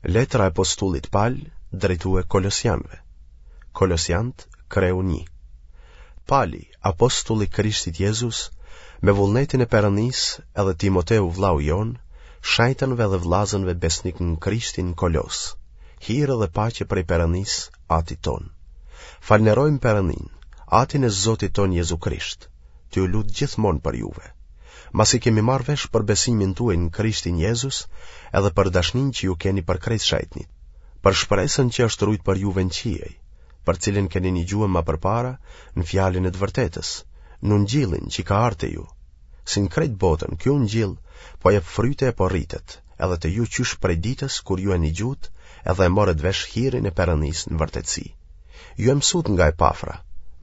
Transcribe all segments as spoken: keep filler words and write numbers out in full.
Letra e apostullit Pal drejtue Kolosianëve. Kolosiant, kreu një. Pali, apostulli Krishtit Jezus, me vullnetin e Perëndisë edhe Timoteu vllau jonë, shenjtënve dhe vllazënve besnik në Krishtin në Kolos, hir dhe paqe prej Perëndisë, Atit tonë. Falënderojmë Perëndinë, Atin e Zotit tonë Jezu Krisht, tu u lut gjithmonë për juve. Masi kemi marrë vesh për besimin tuaj në Krishtin Jezus, edhe për dashninë që ju keni për krejt shenjtnit, për shpresën që është rujt për juve në qiej, për cilën keni nigjue ma përpara në fjalën e të vërtetës, në ungjillin që ka ardhë te ju. Si në krejt botën, ky ungjill po jep fryte e po rritet, edhe te ju qysh prej ditës kur ju e nigjut edhe e morët vesh hirin e Perëndisë në vërtetësi. Ju e mësut nga Epafra,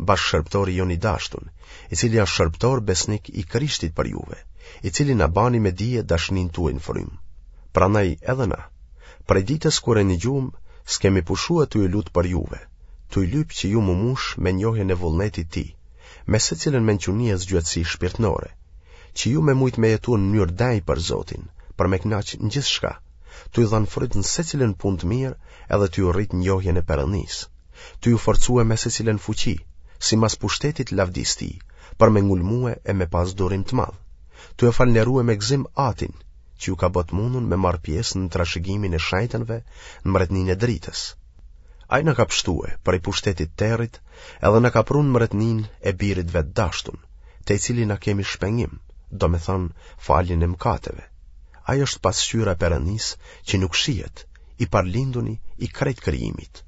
bashkëshërbëtori jonë i dashtun, i cili është shërbëtor besnik i Krishtit për juve, i cili na bani me dije dashninë tuaj në frymë. Prandaj edhe na, prej ditës kur e nigjum, s'kemi pushue tu u lut për juve, tuj lyp që ju m'u mush me njohjen e vullnetit tij, me secilën mençuni e zgjuarsi shpirtnore, që ju me mujt me jetu në mënyrë denjë për Zotin, për me kënaq në gjithçka, tuj dhënë fryt në secilën punë të mirë edhe tuj u rrit njohjen e Perëndisë, tuj u forcue me secilën fuqi, simas pushtetit të lavdisë tij, për me ngulmue e me pas durim të madh, tuj e falënderue me gëzim Atin, që ju ka bë të mundun me marrë pjesë në trashëgimin e shenjtënve në mbretninë e dritës. Ai na ka pshtue prej pushtetit të territ edhe na ka pru në mbretninë e birit vet dashtun, te i cili na kemi shpengim, domethënë faljen e mëkateve. Ai është pasqyra e Perëndisë që nuk shihet, i parlinduni i krejt krijimit.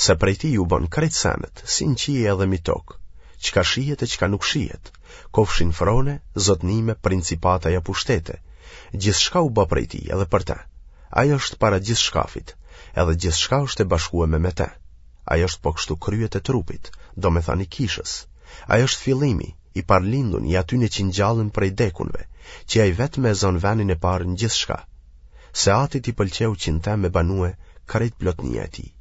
Se prej tij u bënë krejt senet, si në qiej edhe mi tokë, çka shihet e çka nuk shihet, kofshin frone, zotnime, principata ja pushtete, gjithçka u bë prej tij edhe për të. Ai është para gjithçkafit, edhe gjithçka është e bashkueme me të. Ai është po kështu kryet e trupit, domethënë i kishës. Ai është fillimi, i parlindun i atyne që ngjallen prej dekunve, që ai vetë me e zënë venin e parë në gjithçka. Se atit i pëlqeu që në te me banue krejt plotnia e tij,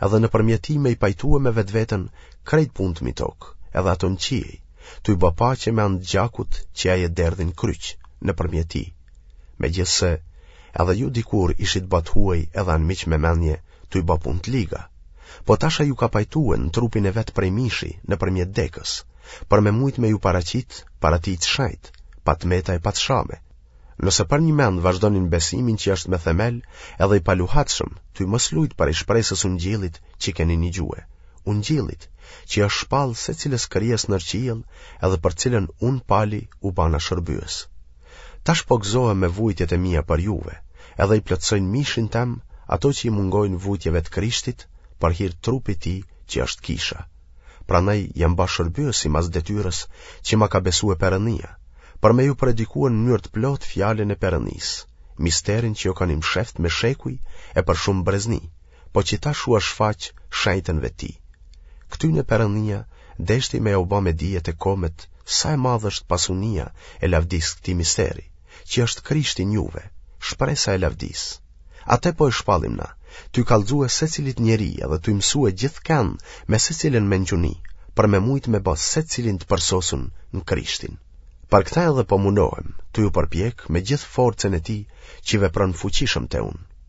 edhe nëpërmjet tij me i pajtue me vetveten krejt punët mi tokë, edhe ato në qiej, tuj bë paqe me anë të gjakut që ai e derdhi në kryq, nëpërmjet tij. Megjithëse, edhe ju dikur ishit bë të huaj edhe anmiq me mendje, tuj bë punë të liga. Po tash ai ju ka pajtue në trupin e vet prej mishi, nëpërmjet dekës, për me mujt me ju paraqit para tij të shenjtë, pa të meta e pa të shame. Nëse përnjëmend vazhdoni në besimin që është me themel edhe i paluhatshëm, tuj mos lujt prej shpresës ungjillit që keni nigjue, ungjillit që është shpall secilës krijesë nër qiell edhe për cilën unë Pali u bana shërbyes. Tash po gëzohem me vujtjet e mia për juve, edhe i plotësoj në mishin tem ato që i mungojnë vujtjeve të Krishtit për hir të trupit tij që është kisha. Prandaj jam ba shërbyes simas detyrës që ma ka besue Perëndia, për me ju predikue në mënyrë të plotë fjalën e Perëndisë, misterin që u kanë i msheft me shekuj e për shumë brezni, po që tash u është shfaq shenjtënve të tij. Këtyne Perëndia deshti me jau ba me dije te komet sa e madhe është pasunia e lavdisë këtij misteri, që është Krishti në juve, shpresa e lavdisë. Atë po e shpallim na, tuj kallxue secilit njeri edhe tuj mësue gjithkënd me secilën mençuni, për me mujt me bë secilin të përsosun në Krishtin. Për këtë edhe po munohem, tuj u përpjek me gjithë forcën e tij që vepron fuqishëm te unë.